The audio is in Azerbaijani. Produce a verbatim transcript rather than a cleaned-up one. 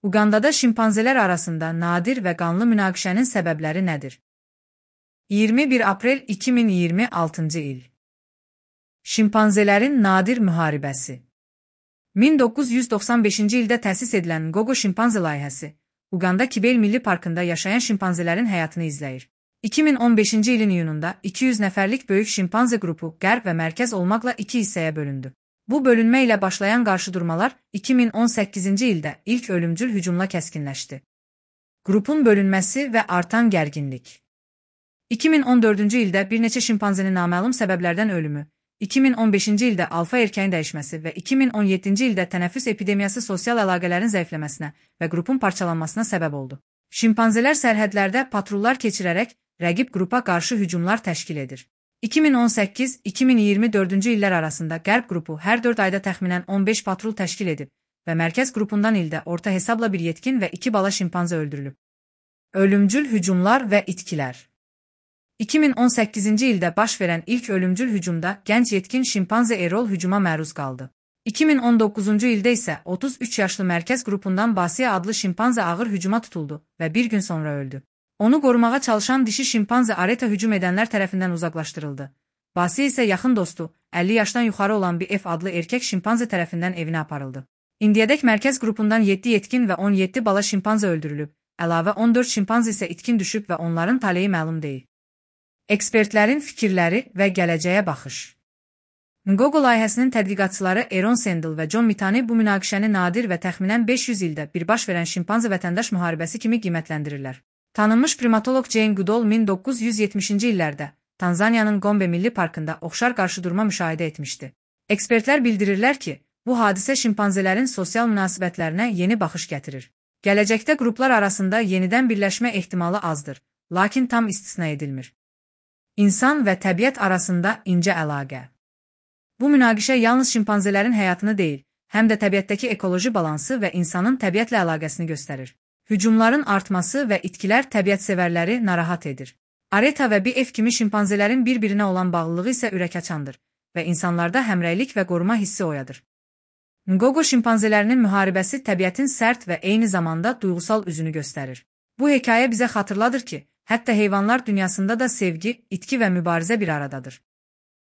Uqandada şimpanzelər arasında nadir və qanlı münaqişənin səbəbləri nədir? iyirmi bir aprel iki min iyirmi altıncı il. Şimpanzelerin nadir müharibəsi. min doqquz yüz doxsan beşinci ildə təsis edilən Ngogo şimpanze layihəsi, Uqanda Kibel Milli Parkında yaşayan şimpanzelerin həyatını izləyir. iki min on beşinci ilin iyununda iki yüz nəfərlik böyük şimpanze qrupu qərb və mərkəz olmaqla iki hissəyə bölündü. Bu bölünmə ilə başlayan qarşıdurmalar iki min on səkkizinci ildə ilk ölümcül hücumla kəskinləşdi. Qrupun bölünməsi və artan gərginlik. iki min on dördüncü ildə bir neçə şimpanzenin naməlum səbəblərdən ölümü, iki min on beşinci ildə alfa erkəyin dəyişməsi və iki min on yeddinci ildə tənəffüs epidemiyası sosial əlaqələrin zəifləməsinə və qrupun parçalanmasına səbəb oldu. Şimpanzelər sərhədlərdə patrullar keçirərək rəqib qrupa qarşı hücumlar təşkil edir. iki min on səkkiz iki min iyirmi dördüncü illər arasında Qərb qrupu hər dörd ayda təxminən on beş patrul təşkil edib və mərkəz qrupundan ildə orta hesabla bir yetkin və iki bala şimpanze öldürülüb. Ölümcül hücumlar və itkilər. iki min on səkkizinci ildə baş verən ilk ölümcül hücumda gənc yetkin şimpanze Erol hücuma məruz qaldı. iki min on doqquzuncu ildə isə otuz üç yaşlı mərkəz qrupundan Basiya adlı şimpanze ağır hücuma tutuldu və bir gün sonra öldü. Onu qorumağa çalışan dişi şimpanze Areta hücum edənlər tərəfindən uzaqlaşdırıldı. Basiya isə yaxın dostu, əlli yaşdan yuxarı olan bir F adlı erkək şimpanze tərəfindən evinə aparıldı. İndiyədək mərkəz qrupundan yeddi yetkin və on yeddi bala şimpanze öldürülüb, əlavə on dörd şimpanze isə itkin düşüb və onların taleyi məlum deyil. Ekspertlərin fikirləri və gələcəyə baxış. Ngogo layihəsinin tədqiqatçıları Aaron Sandel və John Mitani bu münaqişəni nadir və təxminən beş yüz ildə bir baş verən şimpanze vətəndaş müharibəsi kimi qiymətləndirirlər. Tanınmış primatolog Jane Goodall min doqquz yüz yetmişinci illərdə Tanzaniyanın Gombe Milli Parkında oxşar qarşıdurma müşahidə etmişdi. Ekspertlər bildirirlər ki, bu hadisə şimpanzelerin sosial münasibətlərinə yeni baxış gətirir. Gələcəkdə qruplar arasında yenidən birləşmə ehtimalı azdır, lakin tam istisna edilmir. İnsan və təbiət arasında incə əlaqə. Bu münaqişə yalnız şimpanzelerin həyatını deyil, həm də təbiətdəki ekoloji balansı və insanın təbiətlə əlaqəsini göstərir. Hücumların artması və itkilər təbiətsevərləri narahat edir. Areta və B F kimi şimpanzelerin bir-birinə olan bağlılığı isə ürəkaçandır və insanlarda həmrəylik və qoruma hissi oyadır. Ngogo şimpanzelərinin müharibəsi təbiətin sərt və eyni zamanda duyğusal üzünü göstərir. Bu hekayə bizə xatırladır ki, hətta heyvanlar dünyasında da sevgi, itki və mübarizə bir aradadır.